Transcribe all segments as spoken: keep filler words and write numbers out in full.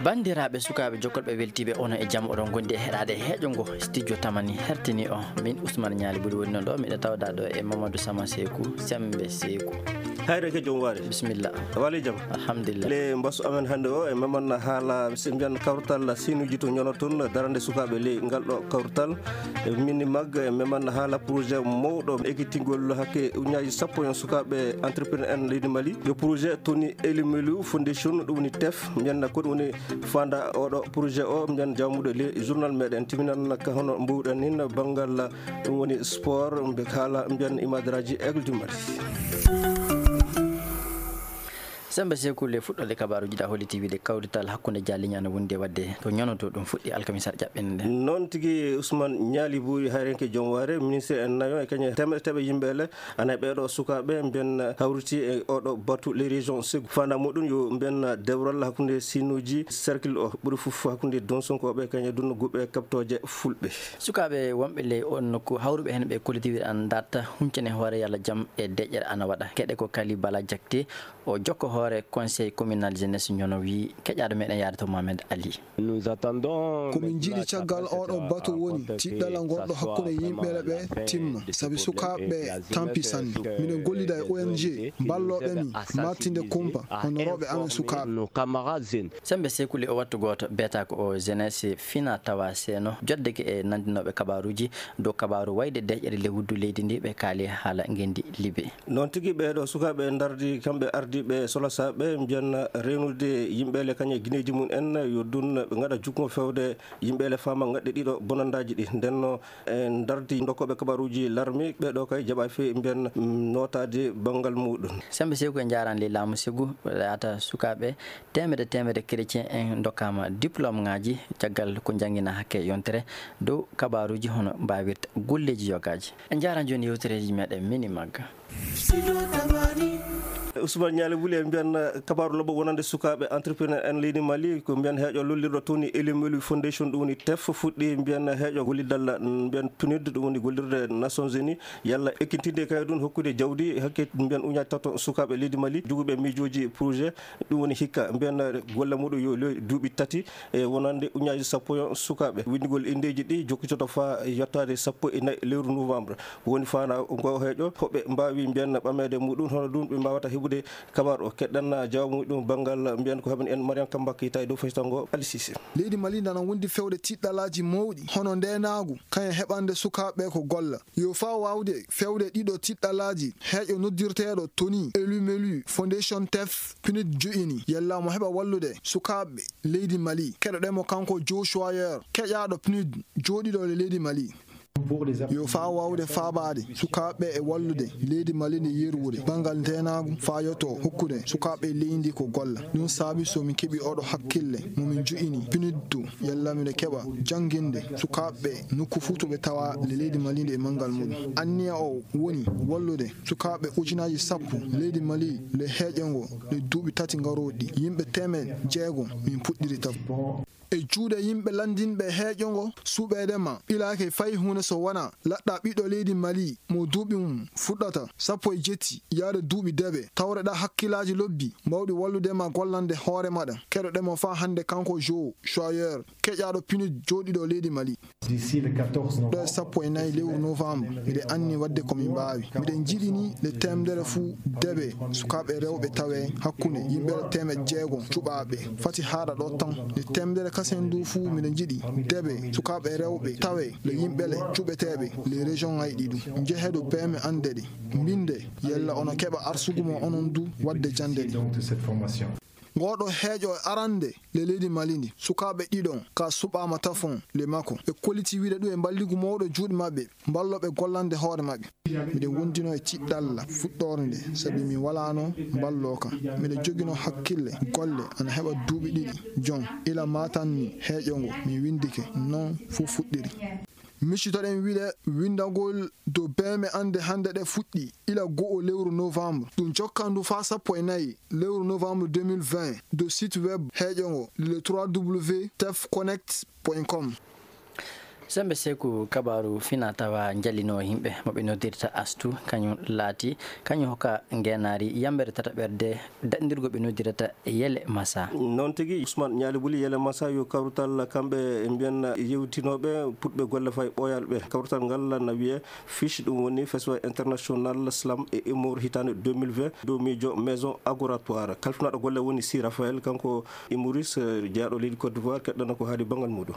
Banndiraaɓe sukaaɓe jokkolɓe weltiiɓe, onon e jam, oɗon ngondi e heɗaade heeƴo ngo studio Tamani hertini o. Min Ousmane Ñaali Buri woni noon ɗo, miɗo tawda ɗo e Mamadou Sama Seeku, Sembe Seeku. Hayre ke jom waare. Bisimilla. Wali jam. Alhamdulillah. Le mbasu amen hannde o, e meman haala, si mbiyan kawrital siinuuji to ñono toon, darande sukaaɓe ley ngal ɗo kawrital. E mini mag, e meman haala projet mawɗo ekkitingol hakke uñaaji sappo en sukaaɓe entrepreneur en leydi Mali. Yo projet Tony Elumelu Foundation, ɗum woni tef, mbiyan ko ɗum woni fanda oɗo projet o, mbiyan jawmuɗo le journal meɗen timinan ka hono mbuɗen nin banngal ɗum woni sport, mbe haala mbiyan Imaadaraaji Aigle du Mali. Sembe Seeku, le fuɗɗorde kabaaruuji ɗa holliti wiide kawrital hakkunde Jaaliña no wondi e waɗde to ñono to, ɗum fuɗɗi alkamisa ƴaɓɓinde nde. Noon tigi, Ousmane Ñaali Buri, hayrenke jom waare, ministre en nayo e kañe teemeɗe teemeɗe yimɓe ele, ana e ɓeeɗo sukaaɓe mbiyan hawriti e oɗo batu les régions Ségou. Fanda muɗum yo mbiyan dewral hakkunde siinuuji cercle o ɓuri fof hakkunde Donsonkooɓe kañe dunno guɓe kaɓtooje fulɓe. Sukaaɓe wonɓe ley on nokku hawruɓe heen ɓe kollitiiɓe an darta huncane hoore yalla jam e deƴƴere ana waɗa. Keɗe ko Kali Bala Jakte, o jokko hoore conseil communal jeunesse ñono wi keƴaaɗo meɗen yaade to Mohamed Ali. Ko min njiɗi caggal oɗo bato woni tiɗɗala ngonɗo hakkunde yimɓe ɓe timma, sabi sukaaɓe ɓe tampi sanne. Miɗen gollida e O N G ballooɓe min maatinde kumpa hono rewɓe amen sukaaɓe. Sembe Seeku, le o wattu gooto beeta ko o jeunesse fina tawa seeno joddeke e nanndinooɓe kabaaruuji dow kabaaru wayde deƴƴere lewru leydi ndi ɓe kaali haala ngenndi Libi. Noon tigi, ɓeeɗo sukaaɓe ndardi kamɓe ardiiɓe solosaaɓe mbiyan reenude yimɓe le kañe gineeji mum en yo dun ɓe ngaɗa jukmo fewde yimɓe le faama ngaɗɗe ɗiɗo bonandaaji ɗi. Ndenno e ndardi dokkooɓe kabaaruuji larmi ɓeeɗo kay jaɓa fe mbiyan nootaade banngal muɗum. Sembe Seeku, e njaaraan ley laamu Ségou, laata sukaaɓe teemedde teemedde chrétien en ndokkaama diplôme ŋaaji caggal ko njanngina hakke yontere dow kabaaruuji hono mbaawirta golleeji yogaaji. En njaaraan jooni yewtereeji meɗen mini magga. Ousmane Ñaali Buri, mbiyan kabaaru lobbo wonande sukaaɓe entrepreneur en leydi Mali, ko mbiyan heeƴo lollirɗo Tony Elumelu Foundation, ɗum woni tef, fuɗɗi mbiyan heeƴo gollidal mbiyan PNUD, ɗum woni gollirde Nations Unies, yalla ekkintinde kay ɗum hokkude jawdi hakke mbiyan uñaaji tato sukaaɓe leydi Mali, joguɓe miijooji projet, ɗum woni hikka mbiyan golle muɗum yo loy duuɓi tati, e wonande uñaaji sappo e sukaaɓe. Winndugol inndeeji ɗi jokkitoto faa yottaade sappo e nayi lewru novembre. Woni fana ngo heeƴo, hoɓe mbaawi mbiyan ɓameede muɗum, hono ɗum ɓe mbaawata heɓude kabaaru o. Keɗɗan jawmu ɗum banngal mbiyan ko heɓan en Mariam Kamba Keita e dow fayta ngo Ali Cissé. Leydi Mali nana wondi fewde tiɗɗalaaji mawɗi, hono ndeenaagu, kañum heɓande sukaaɓe ko golla. Yo faa waawde fewde ɗiɗo tiɗɗalaaji, heeƴo noddirteeɗo Tony Elumelu Foundation tef, PNUD jo'ini, yalla mo heɓa wallude sukaaɓe leydi Mali. Keɗoɗen mo kanko Joe Schweier, keƴaaɗo PNUD, jooɗiiɗo le leydi Mali. Yo faa waawde faabaade sukaaɓe e wallude leydi Mali ndi yerwude banngal ndeenaagu faa yotoo hokkude sukaaɓe leydi ndi ko golla. Ɗum saabi so min keɓi oɗo hakkille mo min jo'ini, PNUD, yalla miɗo keɓa jannginde sukaaɓe nokku fuu to ɓe tawa le leydi Mali ndi e banngal muɗum. Anniya o woni wallude sukaaɓe ujunaaji sappo leydi Mali le heeƴo ngo le duuɓi tati ngarooɗi ɗi. Yimɓe teemeɗɗe jeego min puɗɗiri taw. E juuɗe yimɓe lanndinɓe heeƴo ngo, suɓeede ma ɓilaaki fay huunde so wonaa laɗɗa ɓiɗɗo leydi Mali mo duuɓi mum fuɗɗata sappo e jetti yaade duuɓi deeɓe, tawreɗa hakkillaaji lobbi mawɗi wallude ma gollande hoore maɗa. Keɗoɗen mo faa hannde kanko Joe Schweier, keƴaaɗo PNUD jooɗiiɗo leydi Mali. Ɗo e sappo e nayi lewru novembre, miɗen anni waɗde ko min mbaawi. Miɗen njiɗi ni le teemedere fuu deeɓe sukaaɓe rewɓe tawe hakkunde yimɓe teemeɗɗe jeego cuɓaaɓe. Fati haaɗa ɗo tan. Le teemedere kasen du fuu miɗen njiɗi deeɓe sukaaɓe rewɓe tawe le yimɓe le cuɓeteeɓe le région ŋaaji ɗi ɗum. Njehe dow peeme annde ɗe. Mbinde yalla ono keɓa arsugu mo onon du waɗde jannde ɗe. Ngoɗo heeƴo arande le leydi Mali ndi, sukaaɓe ɗiɗon ka suɓaama tafon le makko. Ɓe kolliti wiide ɗum e mballigu mawɗo juuɗe maɓɓe, mballooɓe gollande hoore maɓɓe. Miɗen wondino e tiɗɗalla fuɗɗoore nde, sabi mi walaano mballooka. Miɗo joginoo hakkille golle ana heɓa duuɓi ɗiɗi jon. Ila maatan ni heeƴo ngo, mi winndike. Noon fof fuɗɗiri. Miccitoɗen wiɗe winndagol dow peeme annde hannde ɗe fuɗɗi ila go'o lewru novembre. Ɗum jokkandu faa sappo e nayi lewru novembre deux mille vingt dow site web heeƴo ngo le trois w tef connect point com. Sembe Seeku, kabaaru fina tawa njallinoo yimɓe mo ɓe noddirta Astu, kañum laati, kañum hokka ngeenaari yammbere tataɓerde daɗndirgo ɓe noddirta Yele Masa. Noon tigi, Ousmane Ñaali Buli, Yele Masa yo kawrital kamɓe mbiyen yewtinooɓe puɗɓe golle fay ɓooyal ɓe. Kawrital ngal na wiyee FISH, ɗum woni Festival International Slam et Humour hitaande deux mille vingt, dow miijo Maison Agoratoire. Kalfinaaɗo golle woni Si Raphaël, kanko humoriste, eh, jeyaaɗo leydi Côte d'Ivoire, keɗɗana ko haali banngal muuɗum.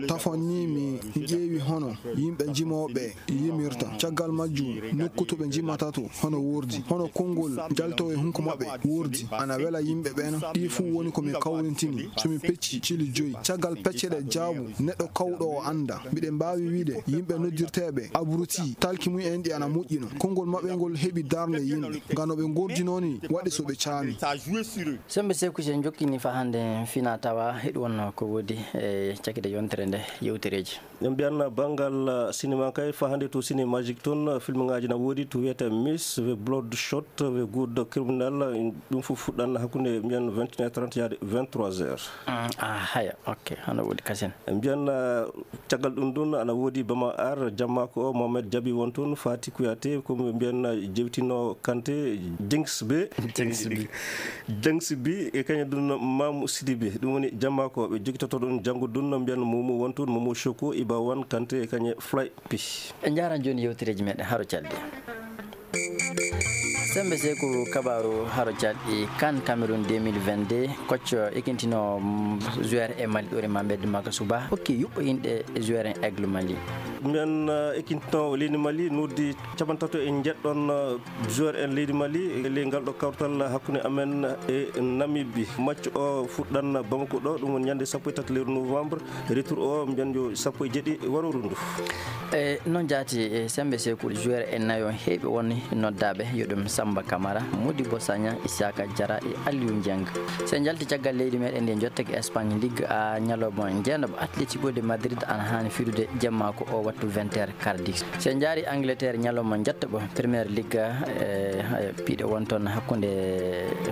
Tafon ni mi ƴeewi hono yimɓe jimooɓe yimirta. Caggal majjum, nokku to ɓe jimata to, hono wordi, hono konngol jaltoowo e hunko maɓɓe wordi. Ana wela yimɓe ɓen. Ɗi fuu woni ko mi kawrintini. So mi pecci cili joyi, caggal pecce ɗe jaabu, neɗɗo kawɗo o annda. Miɗen mbaawi wiide yimɓe noddirteeɓe abruti, talki mum en ɗi ana moƴƴino. Konngol maɓɓe ngol heɓi darnde yimɓe. Ngam no ɓe ngordinoo ni, waɗi so ɓe caami. Sembe Seeku, si en jokkini faa hannde fina tawa, hiɗi wonno ko woodi e cakkitte yontere nde yewtereeji. En mbiyan banngal, uh, sinema kay, faa hannde to Ciné Magique toon, uh, filmŋaaji na woodi, to wiyetee Miss, we Bloodshot, we Good Criminal, uh, ɗum fof fuɗɗan hakkunde mbiyan vingt et une heures trente yaade vingt-trois heures. Mm, ah, haya, ok, hano woodi kasen. En mbiyan, uh, caggal ɗum ɗum ana woodi Bama Ar, Jammaako o, Mohamed Jabi won toon, Fati Kouyaté, ko mbiyan, uh, jewtino Kanté, Jengs B. Jengs B. Jangsi bi e kañum ɗum Mamu Sidibe, ɗum woni Jammaako, ɓe jogitoto ɗum janngo ɗum no mbiyan Momo won toon, Momo Choco, Iba Wan, Kanté e kañe Fly P. En njaaran jooni yewtereeji meɗen haro calɗi. Sembe Seeku, kabaaru haro calɗi, CAN Cameroun deux mille vingt-deux, coach ekintino, mm, joueur e Mali ɗo rema mbedde makko suba, hokki yuɓɓo inɗe joueur en Aigle Mali. Mbiyan, uh, ekintino leydi Mali noddi capanɗe tato e njeɗɗon, uh, joueur en leydi Mali e ley ngal ɗo kawtal hakkunde amen e Namibie. Match o fuɗɗan Bamako ɗo, ɗum woni ñande sappo e tati lewru novembre. Retour o mbiyan yo sappo e jeeɗiɗi warooru ndu. E noon jaati e Sembe Seeku, joueur en nayo heeɓi won noddaaɓe, yo ɗum Samba Camara, Modibo Sagna, Isaka Diarra e Aliou Dieng. So en njalti caggal leydi meɗen ndi, en jottake Espagne, Ligue A, ñalawma jeenaɓo Atlético de Madrid ana haani fiɗude jemma ko o wattu vingt heures Cardiff. So en njaari Angleterre, ñalawma njettoɓo Premier League, e, e, piɗe won toon hakkunde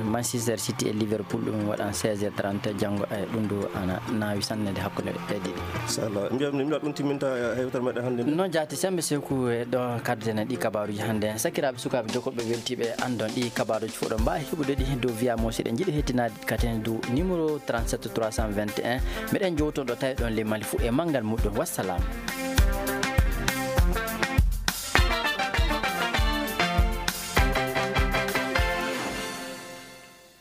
Manchester City e Liverpool, ɗum waɗan seize heures trente janngo, e, ɗum ɗo ana naawi sanne nde hakkunde ɗe ɗiɗi. Inchallah. Mbiyam ni, mi ɗum timminta, e, yewtere meɗen hannde nde. Noon jaati Sembe Seeku, e, ɗo kaddeten ɗi kabaaruuji hannde. Sakiraaɓe, sukaaɓe, jokkooɓe, weltiiɓe anndon ɗi kabaaruuji fof ɗo mbaawi heɓude ɗi dow via mo siɗen njiɗi hettinaade katen dow numéro trente-sept trois cent vingt et un. Meɗen jowtoɗo tawi ɗon le Mali fof e manngal muɗɗum. Wassalam.